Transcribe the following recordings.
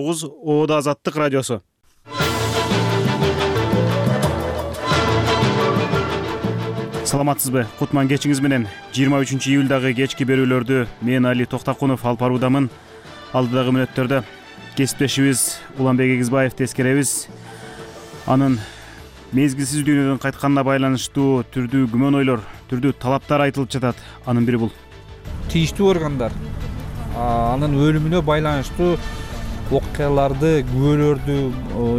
99 Оода Азаттык радиосу. Саламатсызбы? Кутман кечиңиз менен 23-июлдагы кечки берүүлөрдү мен Али Токтакунов алып баруудамын. Алдыдагы мүнөттөрдө кесиптешибиз Уланбек Эгизбаев тескеребиз. Анын мезгилсиз дүйнөдөн кайтканына байланыштуу түрдүү күмөн ойлор, түрдүү талаптар айтылып жатат. Анын бири бул. Тийиштүү органдар анын өлүмүнө байланыштуу окуяларды, күбөлөрдү,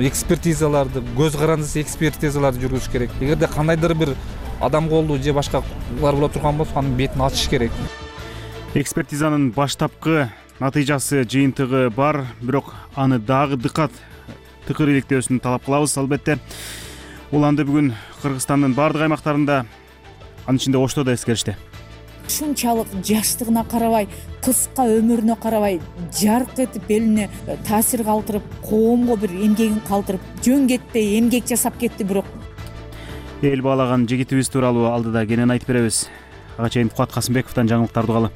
экспертизаларды, көз карандысыз экспертизаларды жүргүзүш керек. Эгерде кандайдыр бир адам колду же башкалар боло турган болсо анын бетин ачыш керек. Экспертизанын баштапкы натыйжасы, жыйынтыгы бар, бирок аны дагы дыкат, тыкыр иликтөөсүн талап кылабыз. Албетте, уланды бүгүн Кыргызстандын бардык аймактарында, анын ичинде Ошто да эскеришти. Ушунчалык жаштыгына карабай, кыска өмүрүнө карабай, жарк этип элине таасир калтырып, коомго бир эмгегин калтырып, жөн кетпей эмгек жасап кетти. Бирок эл баалаган жигитибиз тууралуу алдыда кенен айтып беребиз. Ага чейин Кубат Касымбековдон жаңылыктарды угалы.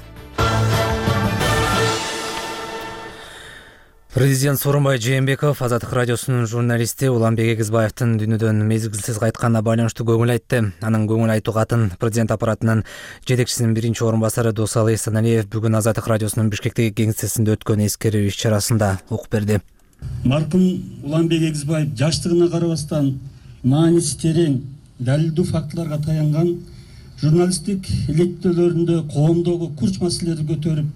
Президент Сооронбай Жээнбеков Азаттык радиосунун журналисти Уланбек Эгизбаевдин дүйнөдөн мезгилсиз кайтканына байланыштуу көңүл айтты. Анын көңүл айтуу катын президент аппаратынын жетекчисинин биринчи орун басары Досалы Эсеналиев бүгүн Азаттык радиосунун Бишкектеги кеңсесинде өткөн эскерүү иш-чарасында окуп берди. Маркум Уланбек Эгизбаев жаштыгына карабастан мааниси терең, далилдүү фактыларга таянган журналисттик иликтөөлөрүндө коомдогу курч маселелерди көтөрүп,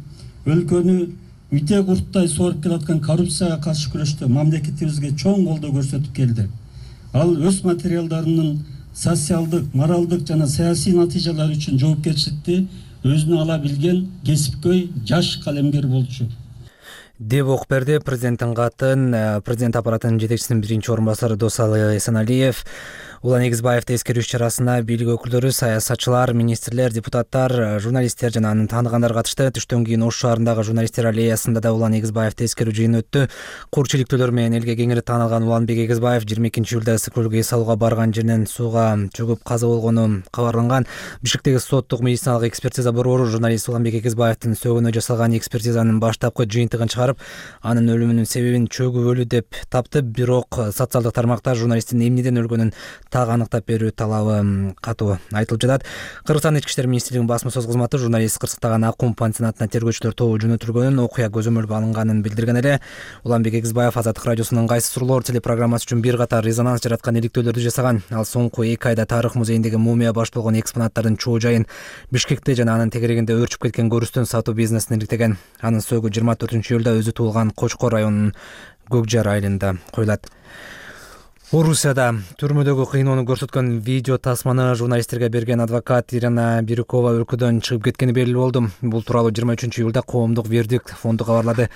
өлкөнү үтө курттай сооруп келаткан коррупцияга каршы күрөштө мамлекетибизге чоң колдоо көрсөтүп келди. Ал өз материалдарынын социалдык, моралдык жана саясий натыйжалары үчүн жоопкерчиликти өзүнө ала билген кесипкөй жаш калемгер болчу деп окуп берди президенттин катын президент аппаратынын жетекчисинин биринчи орун басары Досалы Эсеналиев. Улан Эгизбаевди эскерүү иш-чарасына бийлик өкүлдөрү, саясатчылар, министрлер, депутаттар, журналисттер жана анын тааныгандар катышты. Түштөн кийин Ош шаарындагы журналисттер аллеясында да Улан Эгизбаевди эскерүү жыйыны өттү. Курч иликтөөлөр менен элге кеңири таанылган Уланбек Эгизбаев 22-июлда ысык көлгө эс алууга барган жеринен сууга чөгүп каза болгону кабарланган. Бишкектеги соттук медициналык экспертиза борбору журналист Уланбек Эгизбаевдин сөөгүнө жасалган экспертизанын баштапкы жыйынтыгын чыгарып, анын өлүмүнүн себебин чөгүп өлүү деп тапты. Бирок социалдык тармакта журналисттин эмнеден өлгөнүн так аныктап берүү талабы катуу айтылып жатат. Кыргызстан Ички иштер министрлигинин басма сөз кызматы журналист кырсыктаган Аккум пансионатына тергөөчүлөр тобу жөнөтүлгөнүн, окуя көзөмөлгө алынганын билдирген эле. Уланбек Эгизбаев Азаттык радиосунун Кайсы суроолор телепрограммасы үчүн бир катар резонанс жараткан иликтөөлөрдү жасаган. Ал соңку 2 айда тарых музейиндеги мумия баш болгон экспонаттардын чоо жайын Бишкекте жана анын тегерегинде өрчүп кеткен көрүстөн сатуу бизнесин иликтеген. Анын сөөгү 24-июлда өзү туулган Кочкор районунун Көкжар айылында коюлат. Орусияда түрмөдөгү кыйноону көрсөткөн видео тасманы журналисттерге берген адвокат Ирина Бирюкова өлкөдөн чыгып кеткени белгилүү болду. Бул тууралуу 23-июлда Коомдук вердикт фонду кабарлады.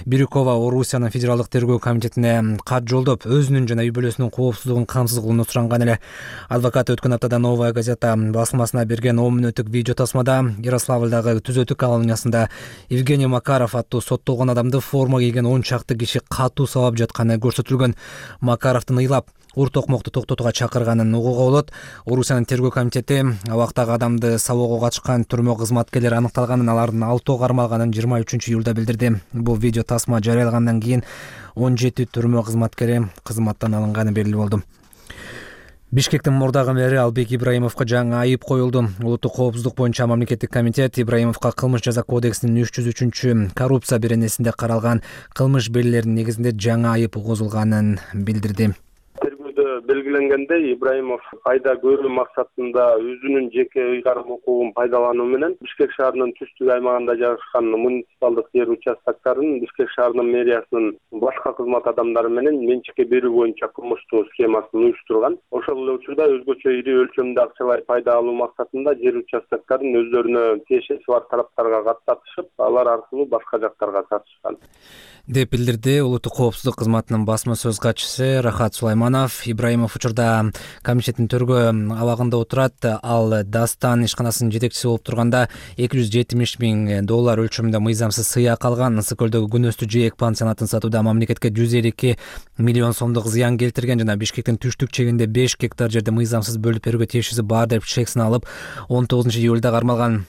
Бирюкова Орусиянын федералдык тергөө комитетине кат жолдоп, өзүнүн жана үй бүлөсүнүн коопсуздугун камсыз кылууну суранган эле. Адвокат өткөн аптада Новая газета басылмасына берген 10 мүнөттүк видео тасмада Ярославлдагы түзөтүү колониясында Евгений Макаров аттуу соттолгон адамды форма кийген 10 чакты киши катуу сабап жатканы көрсөтүлгөн. Макаровдун ыйлап ур токмокту токтотууга чакырганын угууга болот. Орусиянын тергөө комитети абактагы адамды сабоого катышкан түрмө кызматкерлери аныкталганын, алардын 6 кармалганын 23-июлда билдирди. Бул видео тасма жарыялагандан кийин 17 түрмө кызматкери кызматтан алынганы белгилүү болду. Бишкектин мурдагы мэри Албек Ибраимовго жаңы айып коюлду. Улуттук коопсуздук боюнча мамлекеттик комитет Ибраимовго кылмыш жаза кодексинин 303 коррупция беренесинде каралган кылмыш белгилеринин негизинде жаңы айып угузулганын билдирди. Белгиленгендей, Ибраимов пайда көрүү максатында өзүнүн жеке ыйгарым укугун пайдалануу менен Бишкек шаарынын түштүк аймагында жайгашкан муниципалдык жер участоктарын Бишкек шаарынын мэриясынын башка кызмат адамдары менен менчикке берүү боюнча кылмыштуу схемасын уюштурган. Ошол эле учурда өзгөчө ири өлчөмдө акчалай пайда алуу максатында жер участоктарын өздөрүнө тиешеси бар тараптарга каттатышып, алар аркылуу башка жактарга сатышкан деп билдирди улуттук коопсуздук кызматынын басма сөз катчысы Рахат Сулайманов. Ибраимов учурда комитеттин төргөө абагында отурат. Ал Дастан ишканасынын жетекчиси болуп турганда $270,000 өлчөмүндө мыйзамсыз сыйак алган. Ысык көлдөгү Күнөстү жээк пансионатын сатууда мамлекетке 152 миллион сомдук зыян келтирген жана Бишкектин түштүк чегинде 5 гектар жерди мыйзамсыз бөлүп берүүгө тиешеси бар деп чек сыналып 19-июлда кармалган.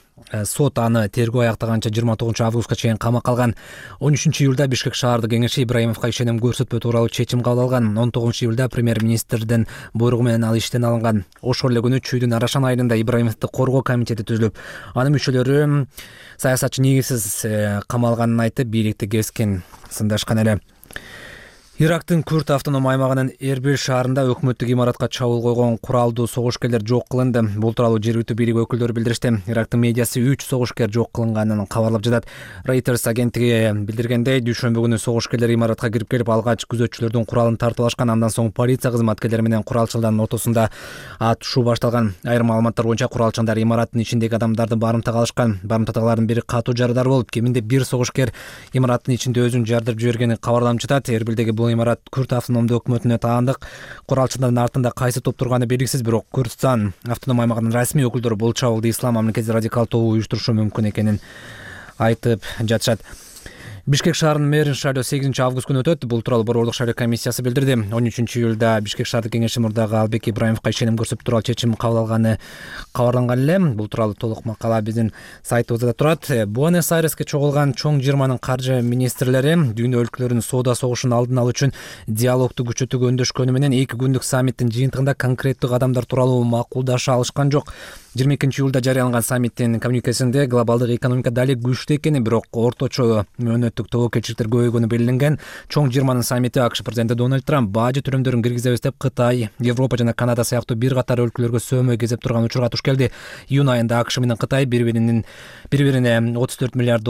сот аны тергөө аяктаганча 29 августка чейин камакка алган. 13 июлда Бишкек шаардык кеңеши Ибраимовго ишеним көрсөтпөө тууралуу чечим кабыл алган. 19 июлда премьер-министрдин буйругу менен ал иштен алынган. Ошол эле күнү Чүйдүн Арашан айылында Ибраимовду коргоо комитети түзүлүп, анын мүчөлөрү саясатчы негизсиз камалганын айтып, бийликти кескен сындашкан эле. Ирактын Күрд автоном аймагынын Эрбил шаарында өкмөттүк имаратка чабуул койгон куралдуу согушкерлер жок кылынды. Бул тууралуу жергиликтүү бийлик өкүлдөрү билдиришти. Ирактын медиасы 3 согушкер жок кылынганын кабарлап жатат. Reuters агенттиги билдиргендей, дүйшөмбү күнү согушкерлер имаратка кирип келип, алгач күзөтчүлөрдүн куралын тартып алышкан. Андан соң полиция кызматкерлери менен куралчылардын ортосунда атышуу башталган. Айрым маалыматтар боюнча куралчылар имараттын ичиндеги адамдарды барымтага алышкан. Барымтадагылардын бири катуу жарадар болуп, кеминде 1 согушкер имараттын ичинде өзүн жардырып жибергени кабарланып жатат. Эрбилдеги бул имарат Күрд автономдуу өкмөтүнө таандык. Куралчылардын артында кайсы топ турганы белгисиз, бирок Күрдстан автоном аймагынын расмий өкүлдөрү бул чабуулду ислам мамлекети радикал тобу уюштурушу мүмкүн экенин айтып жатышат. Бишкек шаарынын мэрин шайлоо 8 август күнү өтөт. Бул тууралуу борбордук шайлоо комиссиясы билдирди. 13 июлда Бишкек шаардык кеңеши мурдагы Албек Ибраимовго ишеним көрсөтүү тууралуу чечим кабыл алганы кабарланган эле. Бул тууралуу толук макала биздин сайтыбызда турат. Буэнос-Айреске чогулган чоң жыйырманын каржы министрлери дүйнө өлкөлөрүнүн соода согушун алдын алуу үчүн диалогду күчөтүүгө өндөшкөнү менен 2 күндүк саммиттин жыйынтыгында конкреттүү кадамдар тууралуу макулдаша алышкан жок. 22 июлда жарыяланган саммиттин коммуникесинде глобалдык экономика дали күчтүү экени, бирок орточо мөөнөттүк тобокелчиликтер көбөйгөнү белгиленген. Чоң жыйырманын саммити АКШ президенти Дональд Трамп бажы төлөмдөрүн киргизебиз деп Кытай, Европа жана Канада сыяктуу бир катар өлкөлөргө сөөмө кезеп турган учурга туш келди. Июнь айында АКШ менен Кытай бири-бирине $34 миллиард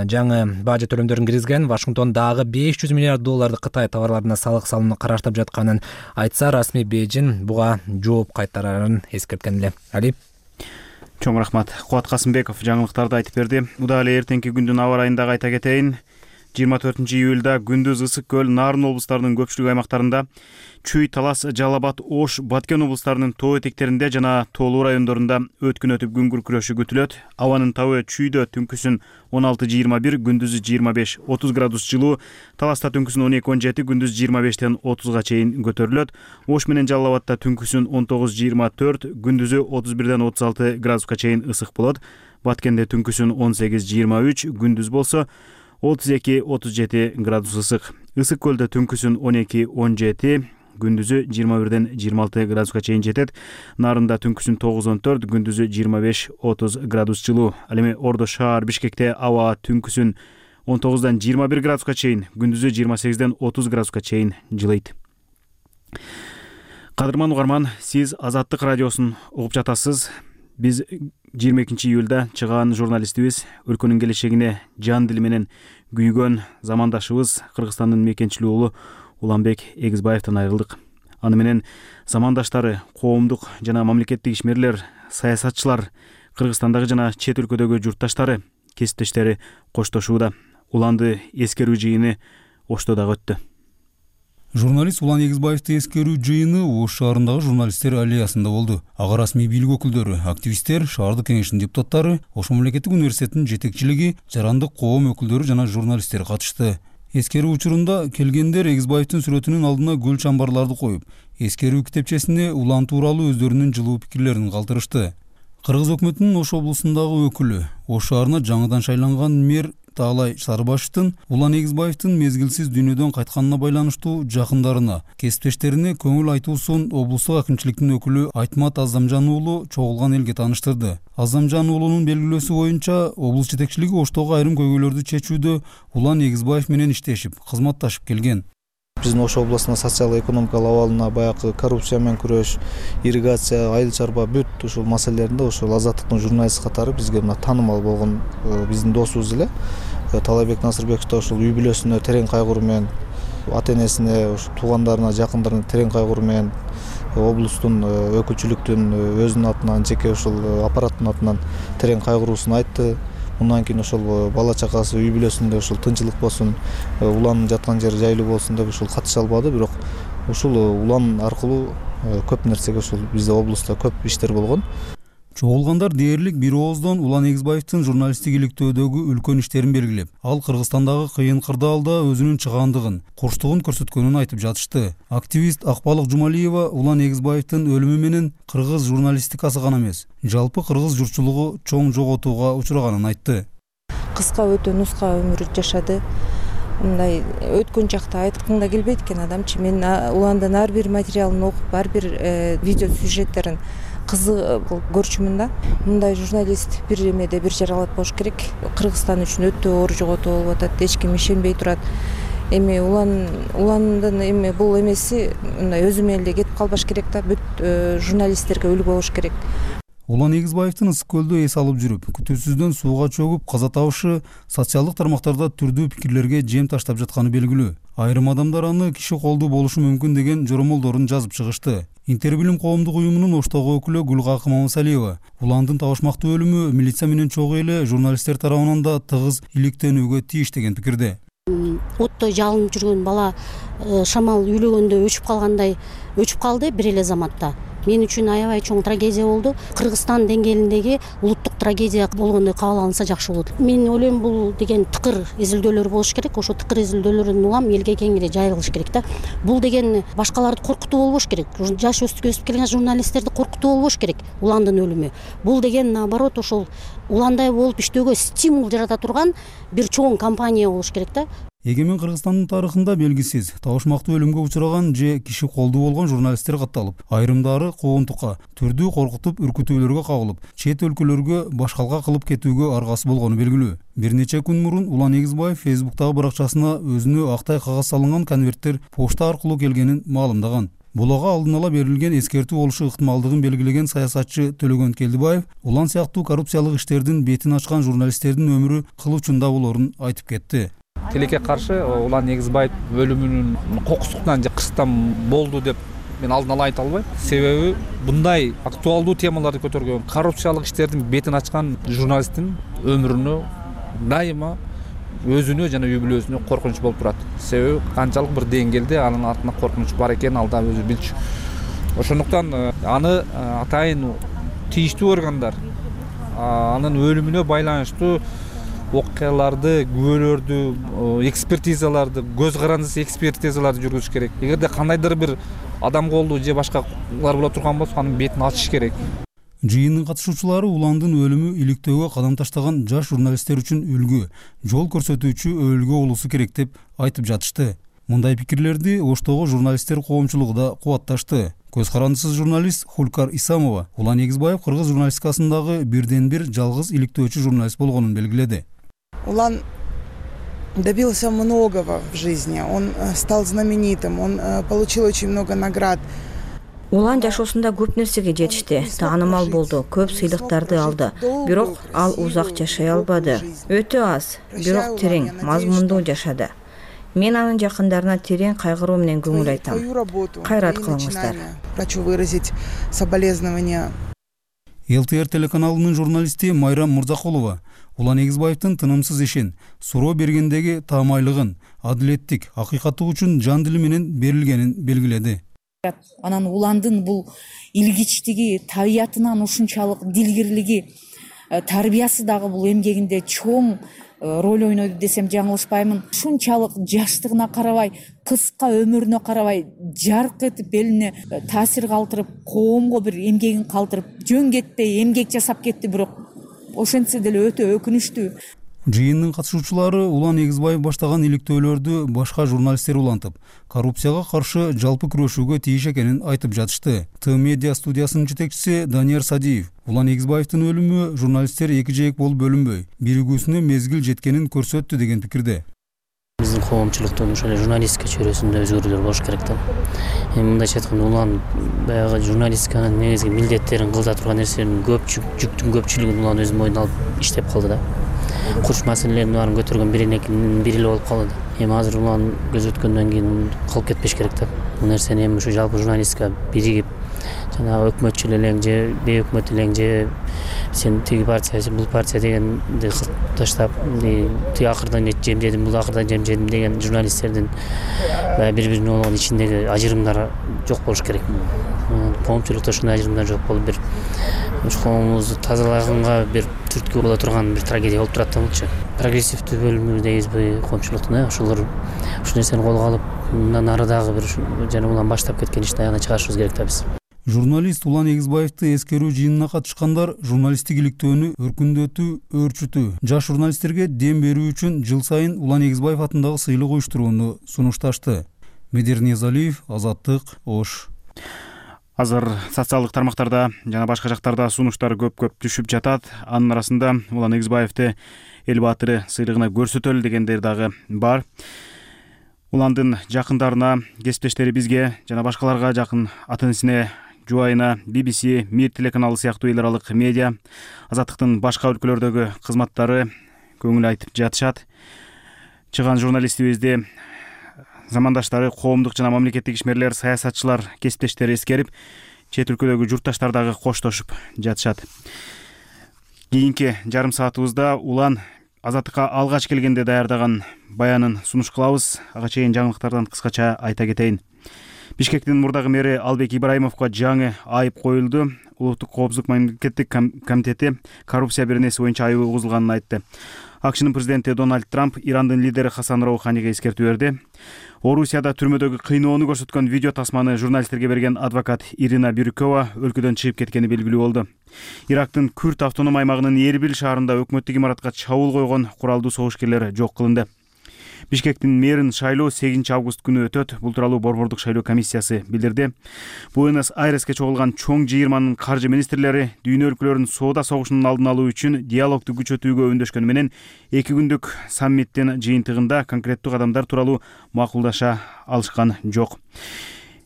жаңы бажы төлөмдөрүн киргизген. Вашингтон дагы $500 миллиард Кытай товарларына салык салууну караштырып жатканын айтса, расмий Бейжин буга жооп кайтарарын эскерткен эле. Али. Чоң рахмат. Кубат Касымбеков жаңылыктарды айтып берди. Муда эле эртеңки күндүн аба ырайын дагы айта кетейин. 24 июлда күндүз Ысык көл, Нарын облустарынын көпчүлүк аймактарында, Чүй, Талас, Жалал-Абад, Ош, Баткен облустарынын тоо этектеринде жана тоолуу райондорунда өткүн өтүп күн күркүрөшү күтүлөт. Абанын табы Чүйдө түнкүсүн 16-21, күндүзү 25-30 градус жылуу, Таласта түнкүсүн 12-17, күндүз 25-тен 30га чейин көтөрүлөт. Ош менен Жалал-Абадта түнкүсүн 19-24, күндүзү 31-ден 36 градуска чейин ысык болот. Баткенде түнкүсүн 18-23, күндүз болсо 32-37 градус ысык. Ысык көлдө түнкүсүн 12-17, күндүзү 21-ден 26 градуска чейин жетет. Нарында түнкүсүн 9-14, күндүзү 25-30 градус жылуу. Ал эми Ордо шаар Бишкекте аба түнкүсүн 19-дан 21 градуска чейин, күндүзү 28-ден 30 градуска чейин жылыйт. Кадырман угарман, сиз Азаттык радиосун угуп жатасыз. Биз 22 июлда чыгаан журналистибиз, өлкөнүн келечегине жан дили менен күйгөн замандашыбыз Кыргызстандын мекенчилүү уулу Уланбек Эгизбаевден айрылдык. Аны менен замандаштары, коомдук жана мамлекеттик ишмерлер, саясатчылар, Кыргызстандагы жана чет өлкөдөгү журтташтары, кесиптештери коштошууда. Уланды эскерүү жыйыны Ошто дагы өттү. Журналист Улан Эгизбаевди эскерүү жыйыны Ош шаарындагы журналисттер аллеясында болду. Ага расмий бийлик өкүлдөрү, активисттер, шаардык кеңештин депутаттары, Ош мамлекеттик университетинин жетекчилиги, жарандык коом өкүлдөрү жана журналисттер катышты. Эскерүү учурунда келгендер Эгизбаевдин сүрөтүнүн алдына гүл чамбарларды коюп, эскерүү китепчесине Улан тууралуу өздөрүнүн жылуу пикирлерин калтырышты. Кыргыз өкмөтүнүн Ош облусундагы өкүлү, Ош шаарына жаңыдан шайланган мэр Таалай Сарыбашевдин Улан Эгизбаевдин мезгилсиз дүйнөдөн кайтканына байланыштуу жакындарына, кесиптештерине көңүл айтуусун облустук акимчиликтин өкүлү Айтмат Аздамжан уулу чогулган элге тааныштырды. Аздамжан уулунун белгилөөсү боюнча, облус жетекчилиги Оштогу айрым көйгөйлөрдү чечүүдө Улан Эгизбаев менен иштешип, кызматташып келген. Биздин Ош областына социал-экономикалык абалына баягы коррупция менен күрөш, ирригация, айыл чарба бүт ушул маселелеринде ошол Азаттыктын журналисти катары бизге мына таанымал болгон биздин досубуз эле. Талайбек Насырбеков да ошол үй бүлөсүнө терең кайгыруу менен, ата-энесине, туугандарына, жакындарына терең кайгыруу менен облустун өкүлчүлүктүн өзүнүн атынан, жеке ошол аппараттын атынан терең кайгыруусун айтты. Мындан кийин ошол бала чакасы үй бүлөсүндө ошол тынчылык болсун, Улан жаткан жери жайлуу болсун деп ошол катыша албады, бирок ушул Улан аркылуу көп нерсеге ошол бизде облустта көп иштер болгон. Чогулгандар дээрлик бир ооздон Улан Эгизбаевдин журналисттик иликтөөдөгү үлкөн иштерин белгилеп, ал Кыргызстандагы кыйын кырдаалда өзүнүн чыгаандыгын, курчтугун көрсөткөнүн айтып жатышты. Активист Акбалык Жумалиева Улан Эгизбаевдин өлүмү менен кыргыз журналистикасы гана эмес, жалпы кыргыз журтчулугу чоң жоготууга учураганын айтты. Кыска өтө нуска өмүр жашады. Мындай өткөн жакта айткым да келбейт экен адамчы. Мен Уландын ар бир материалын окуп, ар бир видео сюжеттерин кызык көрчүмүн да. Мындай журналист бир эмеде бир жаралат болуш керек. Кыргызстан үчүн өтө оор жоготуу болуп атат. Эч ким ишенбей турат. Эми Уландын эми бул эмеси мындай өзү менен эле кетип калбаш керек да. Бүт журналисттерге үлгү болуш керек. Улан Эгизбаевдин Ысык көлдө эс алып жүрүп, күтүүсүздөн сууга чөгүп каза табышы социалдык тармактарда түрдүү пикирлерге жем таштап жатканы белгилүү. Айрым адамдар аны киши колдуу болушу мүмкүн деген жоромолдорун жазып чыгышты. Интербилим коомдук уюмунун Оштогу өкүлү Гүлкакы Мамасалиева Уландын табышмактуу өлүмү милиция менен чогуу эле журналисттер тарабынан да тыгыз иликтенүүгө тийиш деген пикирде. Отто жалынып жүргөн бала шамал үйлөгөндө өчүп калгандай өчүп калды бир эле заматта. Мен үчүн аябай чоң трагедия болду. Кыргызстан деңгээлиндеги улуттук трагедия болгондой кабыл алынса жакшы болот. Мен ойлойм бул деген тыкыр изилдөөлөр болуш керек. Ошо тыкыр изилдөөлөрдүн улам элге кеңири жайылыш керек да. Бул деген башкаларды коркутуу болбош керек. Жаш өсүп келген журналисттерди коркутуу болбош керек. Уландын өлүмү. Бул деген наоборот ошол уландай болуп иштөөгө стимул жарата турган бир чоң кампания болуш керек да. Эгемен Кыргызстандын тарыхында белгисиз табышмактуу өлүмгө учураган же киши колдуу болгон журналисттер катталып, айрымдары кооңтукка, түрдүү коркутуп, үркүтүүлөргө кабылып, чет өлкөлөргө башкалга кылып кетүүгө аргасы болгону белгилүү. Бир нече күн мурун Улан Эгизбаев Фейсбуктагы баракчасына өзүнө актай кагаз салынган конверттер почта аркылуу келгенин маалымдаган. Бул ага алдын ала берилген эскертүү болушу ыктымалдыгын белгилеген саясатчы Төлөгөн Келдибаев Улан сыяктуу коррупциялык иштердин бетин ачкан журналисттердин өмүрү кыл учунда болорун айтып кетти. Тилекке каршы Улан Эгизбаев өлүмүнүн кокусуктан же кырсыктан болду деп мен алдын ала айта албайм. Себеби мындай актуалдуу темаларды көтөргөн, коррупциялык иштердин бетин ачкан журналисттин өмүрүнө дайыма өзүнө жана үй бүлөсүнө коркунуч болуп турат. Себеби канчалык бир деңгээлде анын артында коркунуч бар экенин ал да өзү билчү. Ошондуктан аны атайын тийиштүү органдар анын өлүмүнө байланыштуу окуяларды, күбөлөрдү, экспертизаларды, көз карандысыз экспертизаларды жүргүзүш керек. Эгерде кандайдыр бир адам колдуу же башкалар боло турган болсо, анын бетин ачыш керек. Жыйындын катышуучулары Уландын өлүмү иликтөөгө кадам таштаган жаш журналисттер үчүн үлгү, жол көрсөтүүчү өбөлгө болуусу керек деп айтып жатышты. Мындай пикирлерди Оштогу журналисттер коомчулугу да кубатташты. Көз карандысыз журналист Хулкар Исамова Улан Эгизбаев кыргыз журналистикасындагы бирден бир жалгыз иликтөөчү журналист болгонун белгиледи. Улан добился многого в жизни, он стал знаменитым, он получил очень много наград. Улан жашоосунда көп нерсеге жетишти, таанымал болду, көп сыйлыктарды алды. Бирок ал узак жашай албады. Өтө аз, бирок терең, мазмундуу жашады. Мен анын жакындарына терең кайгыруу менен көңүл айтам. Кайрат кылыңыздар. Хочу выразить соболезнования. ЛТР телеканалынын журналисти Майрам Мурзакулова Улан Эгизбаевдин тынымсыз ишин, суроо бергендеги таамайлыгын, адилеттик, акыйкаттык үчүн жан дили менен берилгенин белгиледи. Анан Уландын бул илгичтиги, табиятынан ушунчалык дилгирлиги, тарбиясы дагы бул эмгегинде чоң роль ойнойду десем жаңылышпаймын. Ушунчалык жаштыгына карабай, кыска өмүрүнө карабай, жарк этип элине таасир калтырып, коомго бир эмгегин калтырып, жөн кетпей эмгек жасап кетти, бирок ошентсе деле өтө өкүнүчтүү. Жыйындын катышуучулары Улан Эгизбаев баштаган иликтөөлөрдү башка журналисттер улантып, коррупцияга каршы жалпы күрөшүүгө тийиш экенин айтып жатышты. Т-медиа студиясынын жетекчиси Данияр Садиев Улан Эгизбаевдин өлүмү журналисттер эки жээк болуп бөлүнбөй, биригүүсүнө мезгил жеткенин көрсөттү деген пикирде. Биздин коомчулуктун ошол журналистика чөйрөсүндө өзгөрүүлөр болуш керек да. Мындайча айтканда Улан баягы журналистиканын негизги милдеттерин кылда турган нерселердин жүктүн көпчүлүгүн Улан өзүнүн мойнуна алып иштеп калды да. Курч маселелердин баарын көтөргөн бири эле болуп калды. Эми азыр Улан көз өткөндөн кийин калып кетпеш керек да. Бул нерсени эми ушу жалпы журналистика биригип, жанагы өкмөтчүл элең же бейөкмөт элең же сен тиги партия бул партия дегенди кылып таштап тиги акырдан жемжедим бул акырдан жемжедим деген журналисттердин баягы бири бирине болгон ичиндеги ажырымдар жок болуш керек. Коомчулукта ушундай ажырымдар жок болуп бир коомубузду тазалаганга бир түрткү боло турган бир трагедия болуп турат да булчу. Прогрессивдүү бөлүмү дейбизби коомчулуктун, ошолор ушул нерсени колго алып мындан ары дагы бир жана улам баштап кеткен ишти аягына чыгарышыбыз керек да биз. Журналист Улан Эгизбаевди эскерүү жыйынына катышкандар журналисттик иликтөөнү өркүндөтүү, өөрчүтүү, жаш журналисттерге дем берүү үчүн жыл сайын Улан Эгизбаев атындагы сыйлык уюштурууну сунушташты. Медер Ниязалиев, Азаттык, Ош. Азыр социалдык тармактарда жана башка жактарда сунуштар көп түшүп жатат. Анын арасында Улан Эгизбаевди эл баатыры сыйлыгына көрсөтөлү дегендер дагы бар. Уландын жакындарына, кесиптештери бизге жана башкаларга жакын ата-энесине, жубайына, BBC, Мир телеканалы сыяктуу эл аралык медиа, Азаттыктын башка өлкөлөрдөгү кызматтары көңүл айтып жатышат. Чыган журналистибизди замандаштары, коомдук жана мамлекеттик ишмерлер, саясатчылар, кесиптештери эскерип, чет өлкөдөгү журтташтар дагы коштошуп жатышат. Кийинки жарым саатыбызда Улан Азаттыкка алгач келгенде даярдаган баянын сунуш кылабыз. Ага чейин жаңылыктардан кыскача айта кетейин. Бишкектин мурдагы мэри Албек Ибраимовго жаңы айып коюлду. Улуттук коопсуздук мамлекеттик комитети коррупция беренеси боюнча айып угузулганын айтты. АКШнын президенти Дональд Трамп Ирандын лидери Хасан Роуханиге эскертүү берди. Орусияда түрмөдөгү кыйноону көрсөткөн видео тасманы журналисттерге берген адвокат Ирина Бирюкова өлкөдөн чыгып кеткени белгилүү болду. Ирактын Күрд автоном аймагынын Эрбил шаарында өкмөттүк имаратка чабуул койгон куралдуу согушкерлер жок кылынды. Бишкектин мэрин шайлоо 8 август күнү өтөт. Бул тууралуу Борбордук шайлоо комиссиясы билдирди. Буэнос-Айреске чогулган чоң жыйырманын каржы министрлери дүйнө өлкөлөрүнүн соода согушунун алдын алуу үчүн диалогду күчөтүүгө үндөшкөнү менен 2 күндүк саммиттин жыйынтыгында конкреттүү кадамдар тууралуу макулдаша алышкан жок.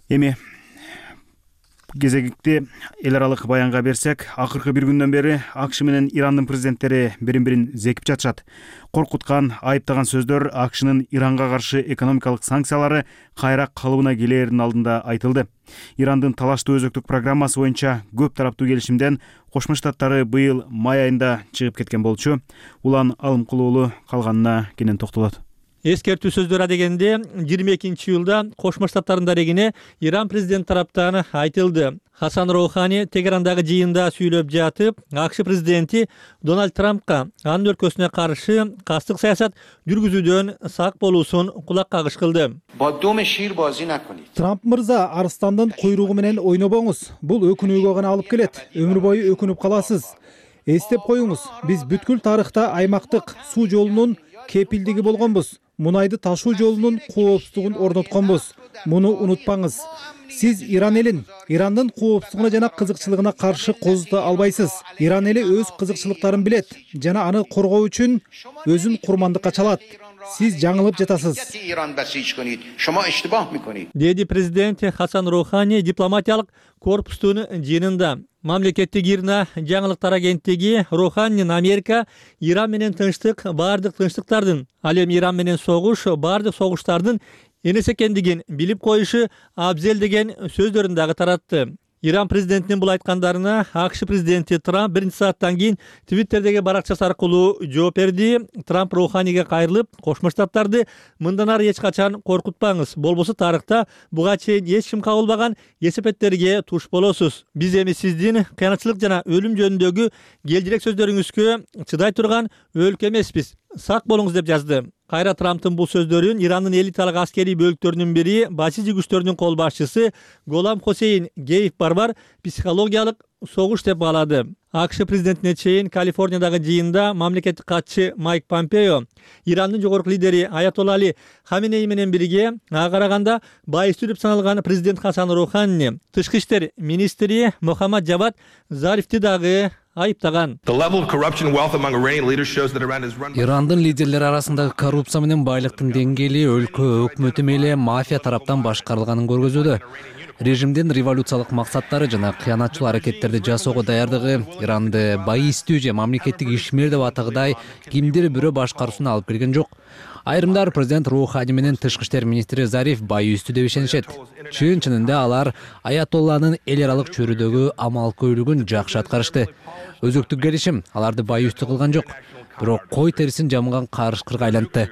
Эми кезекти эл аралык баянга берсек, акыркы бир күндөн бери АКШ менен Ирандын президенттери бирин-бирин зекип жатышат. Коркуткан, айыптаган сөздөр АКШнын Иранга каршы экономикалык санкциялары кайра калыбына келээринин алдында айтылды. Ирандын талаштуу өзөктүк программасы боюнча көп тараптуу келишимден Кошмо Штаттары быйыл май айында чыгып кеткен болчу. Улан Алымкулуулу калганына кенен токтолот. Эскертүү сөздөр адегенде 22-июлда Кошмо Штаттардын дарегине Иран президенти тараптан айтылды. Хасан Роухани Тегерандагы жыйында сүйлөп жатып, АКШ президенти Дональд Трампка анын өлкөсүнө каршы кастык саясат жүргүзүүдөн сак болуусун кулак кагыш кылды. Трамп мырза, арстандын куйругу менен ойнобоңуз. Бул өкүнүүгө гана алып келет. Өмүр бою өкүнүп каласыз. Эстеп коюңуз, биз бүткүл тарыхта аймактык суу жолунун кепилдиги болгонбуз. Мунайды ташуу жолунун коопсуздугун орнотконбуз. Муну унутпаңыз. Сиз Иран элин, Ирандын коопсуздугуна жана кызыкчылыгына каршы козута албайсыз. Иран эли өз кызыкчылыктарын билет жана аны коргоо үчүн өзүн курмандыкка чалат. Сиз жаңылып жатасыз. Деди президент Хасан Роухани дипломатиялык корпустун жыйынында. Мамлекеттик ирна жаңылыктар агенттиги Роуханинин Америка Иран менен тынчтык бардык тынчтыктардын, ал эми Иран менен согуш бардык согуштардын энес экендигин билип коюшу абзел деген сөздөрүн дагы таратты. Иран президентинин бул айткандарына АКШ президенти Трамп 1 сааттан кийин Твиттердеги баракчасы аркылуу жооп берди. Трамп Роуханиге кайрылып, Кошмо Штаттарды мындан ары эч качан коркутпаңыз. Болбосо тарыхта буга чейин эч ким кабылбаган эсепеттерге туш болосуз. Биз эми сиздин кыянатчылык жана өлүм жөнүндөгү келжирек сөздөрүңүзгө чыдай турган өлкө эмеспиз. Сак болуңуз деп жазды. Кайра Трамптын бул сөздөрүн Ирандын элиталык аскерий бөлүктөрүнүн бири, башчы күчтөрүнүн кол башчысы Голам Хосейн Гейф барбар психологиялык согуш деп баалады. АКШ президентине чейин Калифорниядагы жыйында мамлекеттик катчы Майк Помпео Ирандын жогорку лидери Аятолла Али Хаменей менен бирге ага караганда байыстуу деп саналган президент Хасан Роуханини тышкы иштер министри Мохаммад Жавад Зарифти дагы айыптаган. Ирандын лидерлери арасындагы коррупция менен байлыктын деңгээли өлкө өкмөтү мейли мафия тараптан башкарылганын көргөзүүдө. Режимдин революциялык максаттары жана кыянатчыл аракеттерди жасоого даярдыгы Иранды байыстуу же мамлекеттик ишмер деп атагыдай кимдир бирөө башкаруусуна алып келген жок. Айрымдар президент Роухани менен тышкы иштер министри Зариф байыстуу деп ишенишет. Чын-чынында алар Аятолланын эл аралык чөйрөдөгү амал-көйлүгүн жакшы аткарышты. Өзөктүк келишим аларды байыстуу кылган жок. Бирок кой терисин жамган карышкырга айлантты.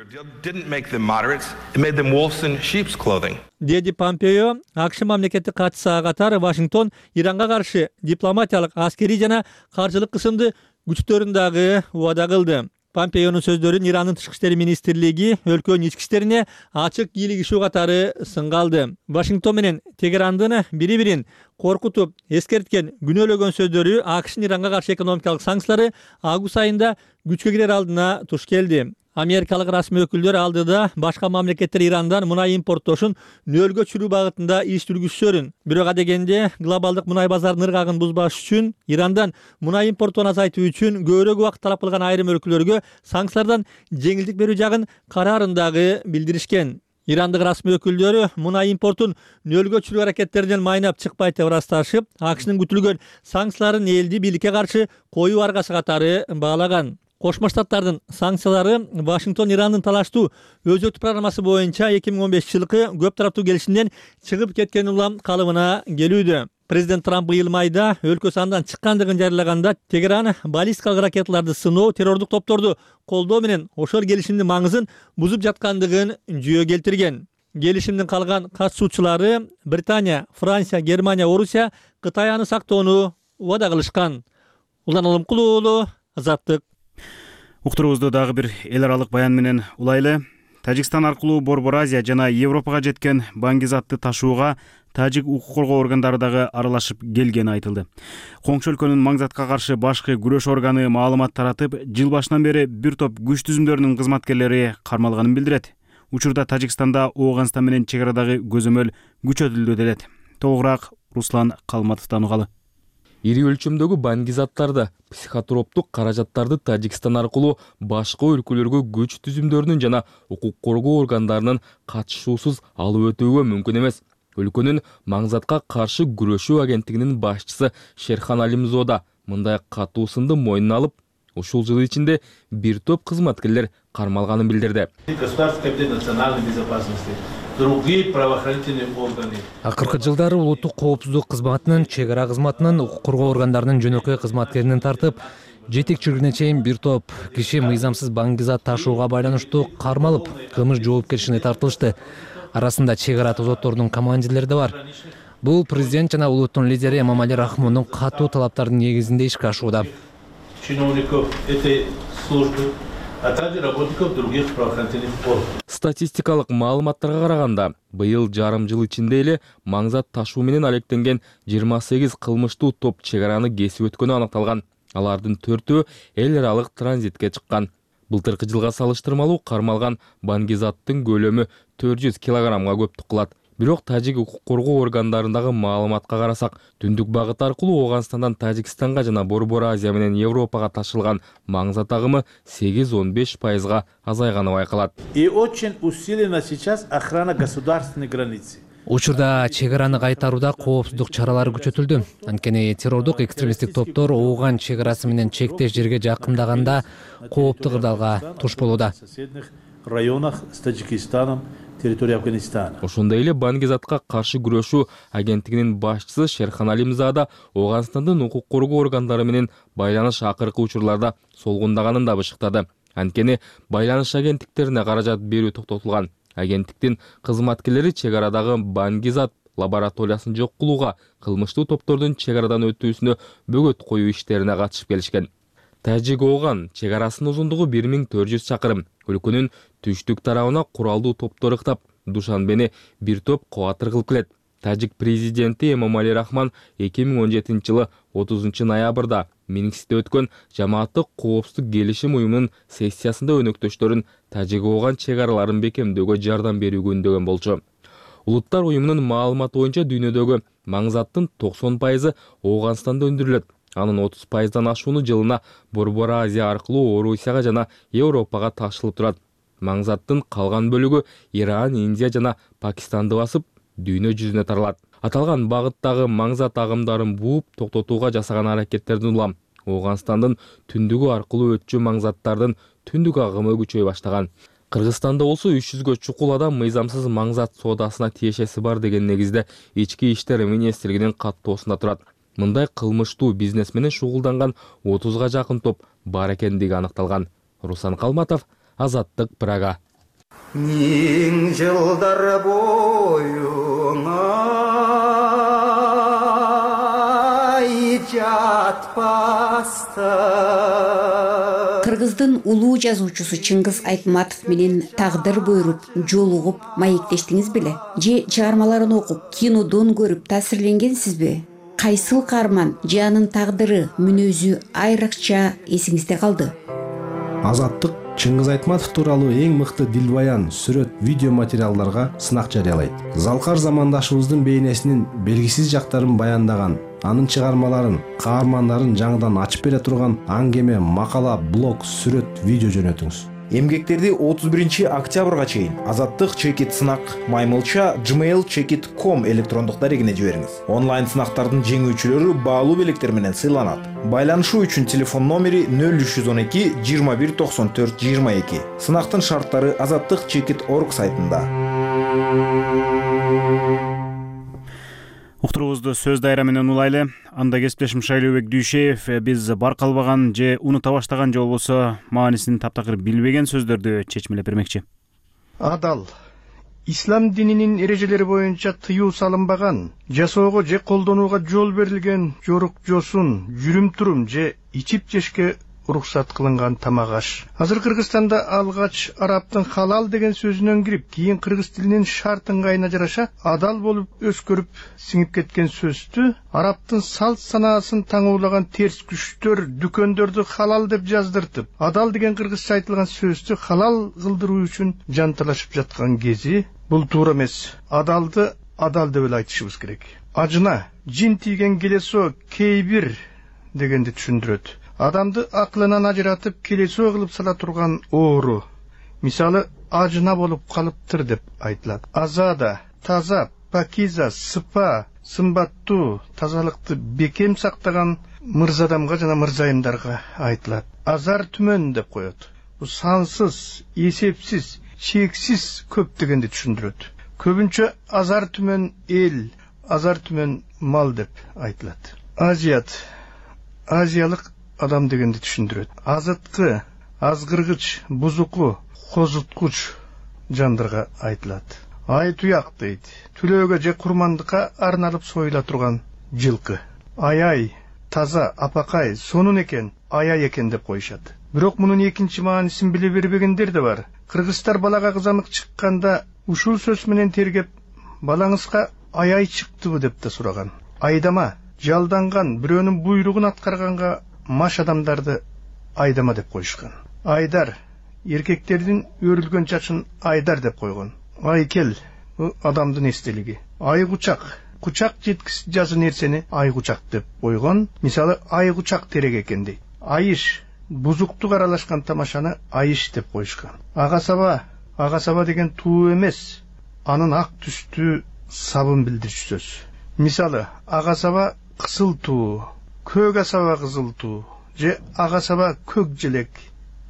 Деди Помпео АКШ мамлекеттик катчысы катары Вашингтон Иранга каршы дипломатиялык, аскерий жана каржылык кысымды күчтөрүн дагы убада кылды. Помпеонун сөздөрүн Ирандын тышкы иштер министрлиги өлкөнүн ички иштерине ачык кийлигишүү катары сынга алды. Вашингтон менен Тегерандын бири-бирин коркутуп, эскерткен, күнөөлөгөн сөздөрү АКШнын Иранга каршы экономикалык санкциялары август айында күчкө кирер алдына туш келди. Америкалык расмий өкүлдөр алдыда башка мамлекеттер Ирандан мунай импорттошун нөлгө чүрүү багытында иш жүргүзүшөрүн. Бирок адегенде глобалдык мунай базарынын ыргагын бузбаш үчүн Ирандан мунай импорттон азайтуу үчүн көбүрөөк убакыт талап кылган айрым өлкөлөргө санкциялардан жеңилдик берүү жагын караарындагы билдиришкен. Ирандык расмий өкүлдөрү мунай импортун нөлгө чүрүү аракеттеринен майнап чыкпайт деп ырасташып, АКШнын күтүлгөн санкцияларын элди бийликке каршы коюу аргасы катары баалаган. Кошмо Штаттардын санкциялары Вашингтон Ирандын талаштуу өзөктүк программасы боюнча 2015-жылкы көп тараптуу келишимден чыгып кеткен улам калыбына келүүдө. Президент Трамп быйыл майда өлкөсү андан чыккандыгын жарыялаганда Тегеран баллистикалык ракеталарды сыноо, террордук топторду колдоо менен ошол келишимдин маңызын бузуп жаткандыгын жүйө келтирген. Келишимдин калган катышуучулары Британия, Франция, Германия, Орусия Кытай аны сактоону убада кылышкан. Улан Алымкул уулу, Азаттык. Уктуруубузду дагы бир эл аралык баян менен улайлы. Тажикстан аркылуу Борбор Азия жана Европага жеткен баңгизатты ташууга тажик укук коргоо органдары дагы аралашып келгени айтылды. Коңшу өлкөнүн маңзатка каршы башкы күрөш органы маалымат таратып, жыл башынан бери бир топ күч түзүмдөрүнүн кызматкерлери кармалганын билдирет. Учурда Тажикстанда Ооганстан менен чек арадагы көзөмөл күчөтүлдү делет. Толугураак Руслан Калматовдон угалы. Ири өлчөмдөгү баңгизаттарды, психотроптук каражаттарды Тажикстан аркылуу башка өлкөлөргө күч түзүмдөрүнүн жана укук коргоо органдарынын катышуусуз алып өтүүгө мүмкүн эмес. Өлкөнүн маңзатка каршы күрөшүү агенттигинин башчысы Шерхан Алимзода мындай катуу сынды мойнуна алып, ушул жыл ичинде бир топ кызматкерлер кармалганын билдирди. Акыркы жылдары улуттук коопсуздук кызматынын, чек ара кызматынын, укук коргоо органдарынын жөнөкөй кызматкеринен тартып, жетекчилигине чейин бир топ киши мыйзамсыз баңгизат ташууга байланыштуу кармалып, кылмыш жоопкерчилигине тартылышты. Арасында чек ара тозотторунун командирлери да бар. Бул президент жана улуттун лидери Эмомали Рахмондун катуу талаптарынын негизинде ишке ашууда. Статистикалык маалыматтарга караганда, быйыл жарым жыл ичинде эле маңзат ташуу менен алектенген 28 кылмыштуу топ чек араны кесип өткөнү аныкталган. Алардын 4-өө эл аралык транзитке чыккан. Былтыркы жылга салыштырмалуу кармалган баңгизаттын көлөмү 400 килограммга көптүк кылат. Бирок тажик укук коргоо органдарындагы маалыматка карасак, түндүк багыт аркылуу Ооганстандан Тажикстанга жана Борбор Азия менен Европага ташылган маңзат агымы 8-15% азайганы байкалат. И очень усилена сейчас охрана государственной границы. Учурда чек араны кайтарууда коопсуздук чаралары күчөтүлдү. Анткени террордук экстремисттик топтор Ооган чек арасы менен чектеш жерге жакындаганда кооптуу кырдаалга туш болууда. Районах с Таджикистаном, территория Афганистана. Ошондой эле баңгизатка каршы күрөшүү агенттигинин башчысы Шерхан Алимзада Ооганстандын укук коргоо органдары менен байланыш акыркы учурларда солгундаганын да бышыктады. Анткени байланыш агенттиктерине каражат берүү токтотулган. Агенттиктин кызматкерлери чек арадагы баңгизат лабораториясын жок кылууга, кылмыштуу топтордун чек арадан өтүүсүнө бөгөт коюу иштерине катышып келишкен. Тажик-Ооган чек арасынын узундугу 1400 чакырым. Өлкөнүн түштүк тарабына куралдуу топтор ыктап, Душанбени бир топ кубатыр кылып келет. Тажик президенти Эмомали Рахмон 2017-жылы 30-ноябрда Минскте өткөн жамааттык коопсуздук келишим уюмунун сессиясында өнөктөштөрүн Тажик-Ооган чек араларын бекемдөөгө жардам берүүгө үндөгөн болчу. Улуттар уюмунун маалыматы боюнча дүйнөдөгү маңзаттын 90% Ооганстанда өндүрүлөт. Анын 30%дан ашууну жылына Борбор Азия аркылуу Орусияга жана Европага ташылып турат. Маңзаттын калган бөлүгү Иран, Индия жана Пакистанды басып, дүйнө жүзүнө таралат. Аталган багыттагы маңзат агымдарын бууп токтотууга жасаган аракеттердин улам Ооганстандын түндүгү аркылуу өтчү маңзаттардын түндүк агымы күчөй баштаган. Кыргызстанда болсо 300гө чукул адам мыйзамсыз маңзат соодасына тиешеси бар деген негизде Ички иштер министрлигинин каттоосунда турат. Мындай кылмыштуу бизнес менен шугулданган 30га жакын топ бар экендиги аныкталган. Руслан Калматов, Азаттык, Прага. Миң жылдар боюңа жатпаста. Кыргыздын улуу жазуучусу Чыңгыз Айтматов менен тагдыр буйруп, жолугуп, маектештиңиз беле? Же чыгармаларын окуп, кинодон көрүп таасирленгенсизби? Кайсыл каарман же анын тагдыры, мүнөзү айрыкча эсиңизде калды? Азаттык Чыңгыз Айтматов тууралуу эң мыкты дилбаян, сүрөт, видео материалдарга сынак жарыялайт. Залкар замандашыбыздын бейнесинин белгисиз жактарын баяндаган, анын чыгармаларын, каармандарын жаңыдан ачып бере турган аңгеме, макала, блог, сүрөт, видео жөнөтүңүз. Эмгектерди 31 октябрга чейин Азаттык чекит сынак маймылча gmail.com электрондук дарегине жибериңиз. Онлайн сынактардын жеңүүчүлөрү баалуу белектер менен сыйланат. Байланышуу үчүн телефон номери 0312 21 94 22. Сынактын шарттары azattikchekit.org сайтында. Уктуруубузду сөз дайра менен улайлы. Анда кесиптешим Шайлообек Дүйшеев биз баркалбаган же унута баштаган же болбосо маанисин таптакыр билбеген сөздөрдү чечмелеп бермекчи. Адал. Ислам дининин эрежелери боюнча тыюу салынбаган, жасоого же колдонууга жол берилген жорук жосун, жүрүм-турум же ичип жешке уруксат кылынган тамак аш. Азыр Кыргызстанда алгач арабтын халал деген сөзүнөн кирип, кийин кыргыз тилинин шарт ыңгайына жараша адал болуп өскөрүп сиңип кеткен сөздү арабтын салт санаасын таңуулаган терс күчтөр дүкөндөрдү халал деп жаздыртып, адал деген кыргызча айтылган сөздү халал кылдыруу үчүн жанталашып жаткан кези бул туура эмес. Адалды адал деп эле айтышыбыз керек. Ажына жин тийген келесо кейбир дегенди түшүндүрөт. Адамды аклынан ажыратып келесоо кылып сала турган оору. Мисалы ажына болуп калыптыр деп айтылат. Азада, таза, пакиза, сыпа, сымбаттуу, тазалыкты бекем сактаган мырзадамга жана мырзайымдарга айтылат. Азар түмөн деп коет. Бул сансыз, эсепсиз, чексиз көп дегенди түшүндүрөт. Көбүнчө азар түмөн эл, азар түмөн мал деп айтылат. Азиялык адам дегенди түшүндүрөт. Азыткы, азгыргыч, бузуку, козуткуч жандарга айтылат. Ай туяк дейт. Түлөөгө же курмандыкка арналып союла турган жылкы. Ай, таза, апакай, сонун экен, аяй экен деп коюшат. Бирок мунун экинчи маанисин биле бербегендер да бар. Кыргыздар балага кызамык чыкканда ушул сөз менен тергеп, балаңызга аяй чыктыбы деп да сураган. Айдама, жалданган, бирөөнүн буйругун аткарганга маш адамдарды айдама деп коюшкан. Айдар, эркектердин өрүлгөн чачын айдар деп койгон. Айкел, адамдын эстелиги. Айгучак, кучак жеткис жазы нерсени айгучак деп койгон. Мисалы айгучак терек экен дейт. Айыш, бузуктук аралашкан тамашаны айыш деп коюшкан. Ага-саба деген туу эмес, анын ак түстүү сабын билдирчү сөз. Мисалы ага-саба кызыл туу, көк асаба кызыл туу, же ага-саба көк желек,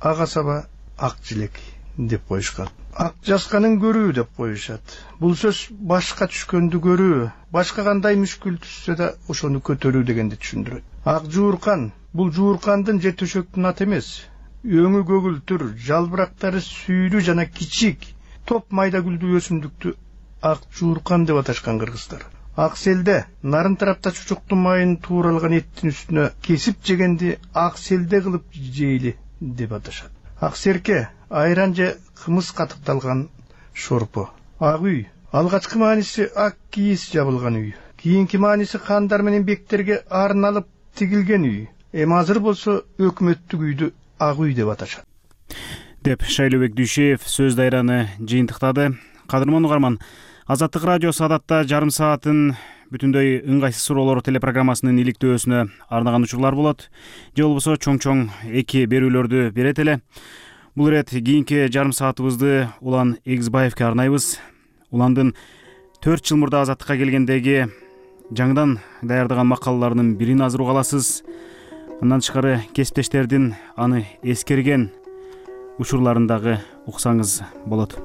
ага-саба ак желек деп коюшкан. Ак жасканын көрүү деп коюшат. Бул сөз башка түшкөндү көрүү, башка кандай мүшкүл түшсө да ошону көтөрүү дегенди түшүндүрөт. Ак жууркан, бул жууркандын же төшөктүн аты эмес. Өңү көгүлтүр, жалбырактары сүйрүү жана кичик, топ майда гүлдүү өсүмдүктү ак жууркан деп аташкан кыргыздар. Ак селде нарын тарапта чучуктун майын тууралган эттин үстүнө кесип жегенди ак селде кылып жейли деп аташат. Ак серке айран же кымыз катыкталган шорпо. Ак үй алгачкы мааниси ак кийиз жабылган үй. Кийинки мааниси хандар менен бектерге арналып тигилген үй. Эми азыр болсо өкмөттүк үйдү ак үй деп аташат. Деп Шайлообек Дүйшеев сөз дайраны жыйынтыктады. Кадырман угарман, Азаттык радиосу адатта жарым саатын бүтүндөй ыңгайсыз суроолор телепрограммасынын иликтөөсүнө арнаган учурлар болот. Же болбосо чоң-чоң эки берүүлөрдү берет эле. Бул ирет кийинки жарым саатыбызды Улан Эгизбаевке арнайбыз. Уландын 4 жыл мурда Азаттыкка келгендеги жаңыдан даярдаган макалаларынын бирин азыр уга аласыз. Андан тышкары кесиптештердин аны эскерген учурларын дагы уксаңыз болот.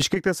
Бишкекте